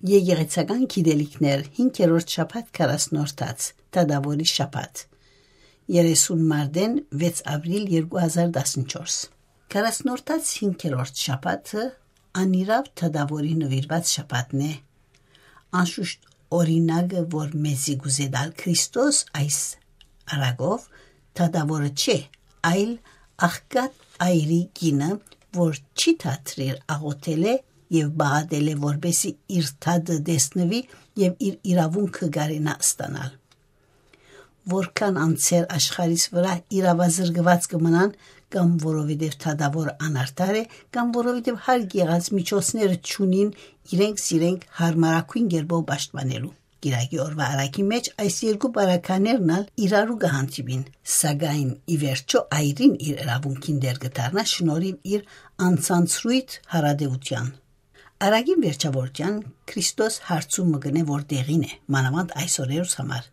Եկեղեցական գիտելիքներ 5-րդ շաբաթ 40-րդ Թադավորի շաբաթ 30 մարտեն 6 ապրիլ 2014 40-րդ 5-րդ շաբաթը անիրավ Թադավորի նվիրված շաբաթն է անշուշտ օրինակը որ մեզի գուզեդալ Քրիստոս այս արագով Թադավորը չէ այլ աղքատ այրի գինը որ չի թատրիր աղոթել է եւ բաղադրել է որբեսի իր թադը դեսնվի եւ իր իրավունքը գարենա ստանալ որքան անցեր աշխարհիս վրա իրավազրկված կմնան կամ որովհետեւ թադավորը անարտար է կամ որովհետեւ հարկ եղած միջոցները չունին իրենք հարմարակույն գերբով պաշտպանելու Գիրակի օրվա արակի մեջ այս երկու բարականերն իրարու կհանդիպին սակայն ի վերջո այրին իր իրավունքին դեր կդառնա շնորհիվ իր անցանցրույթ հարադեվության Արագին վերջավորության Քրիստոս հարցում մգնե որ դեղին է մանավանդ այսօրերուս համար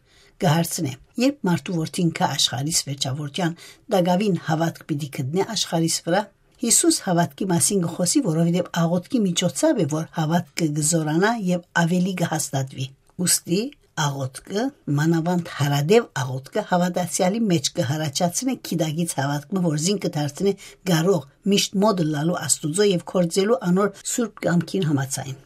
կհարցնե երբ մարդու որդին կա աշխարհիս վերջավորության դագավին հավատք պիտի գտնե աշխարհիս վրա Հիսուս հավատքի մասին գխոսի որովհետև աղոթքի միջոցով է որ հավատքը գզորանա եւ ավելի կհաստատվի ուստի աղոթքը մանավանդ հարադև աղոթքը հավատացյալի մեջ կհարաճացնի քիդագից հավատքը որ զին կդարձնի գարող միշտ մոդը լալու աստուծո եւ կորձելու անոր սուրբ կամքին համաձայն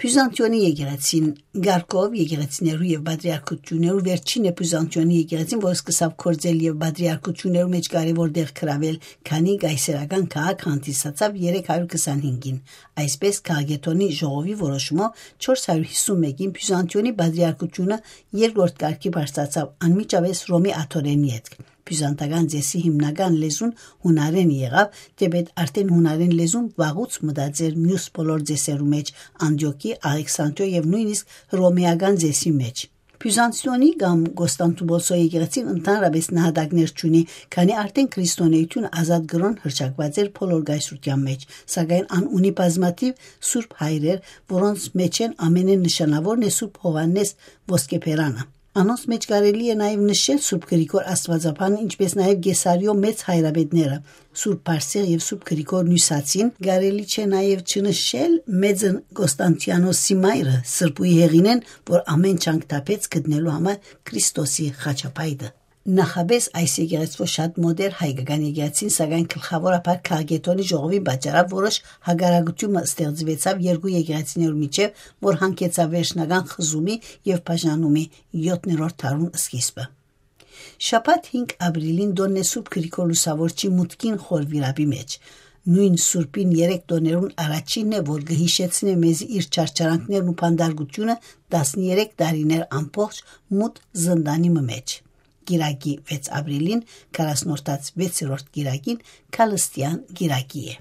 Բյուզանդիոնի եկեղեցին Գարկով եկեղեցիներու եւ բադրիարքություններու վերջին է Բյուզանդիոնի եկեղեցին որ սկսավ կորձել եւ բադրիարքություններու մեջ կարևոր դեր գրավել քանի գայսերական քաղաք հանդիսացավ 325-ին այսպես քաղաքետոնի ժողովի որոշումով 451-ին Բյուզանդիոնի բադրիարքությունը երկրորդ կարգի բարձրացավ անմիջապես Ռոմի աթորենի հետ Բյուզանդական ձեսի հիմնական լեզուն հունարեն եղավ, դեպետ արդեն հունարեն լեզուն վաղուց մտածեր մյուս բոլոր ձեսերու մեջ, Անդիոկի, Ալեքսանդրիա եւ նույնիսկ հռոմեական ձեսի մեջ։ Բյուզանդիոնի կամ Կոստանդնուպոլսի եկեղեցին ընդհանրապես նահատակներ չունի, քանի արդեն քրիստոնեությունը ազատ գրոն հրճակված էր բոլոր գայսրության մեջ, սակայն ան ունի բազմաթիվ սուրբ հայրեր, որոնց մեջ են ամենեն նշանավորն է Սուրբ Հովհաննես Ոսկեփերանը։ Անոնց մեջ կարելի է նաև նշել Սուրբ Գրիգոր Աստվածապանը, ինչպես նաև Գեսարիո մեծ հայրաբեդները, Սուրբ Պարսեղ եւ Սուրբ Գրիգոր Նյուսացին, կարելի չէ նաև չնշել մեծ Կոստանդիանոսի մայրը Սրբուի Հեղինեն, որ ամեն չանք տապեց գտնելու համար Քրիստոսի խաչապայտը։ Նախաբես այս եկեղեցու շատ մոդեր հայկական եկեղեցին, սակայն գլխավորապես քաղաքետոնի ժողովի պատճառով որոշ հագարակություն ստեղծվեցավ երկու եկեղեցիներու միջև, որ հանգեցավ վերջնական խզումի եւ բաժանումի 7-րդ դարուն սկիզբը։ Շաբաթ 5 ապրիլին Դոննե Սուրբ Գրիգոր Լուսավորչի մուտքին խորվիրապի մեջ Նույն Սուրբին 3 տոներուն առաջինն է, որ կհիշեցնե մեզ իր չարչարանքներն ու փանդարգությունը 13 տարիներ ամբողջ մութ զնդանի մեջ։ Գիրակի 6 ապրիլին 40-րդ 6-րդ գիրակին Քալստյան գիրակի է։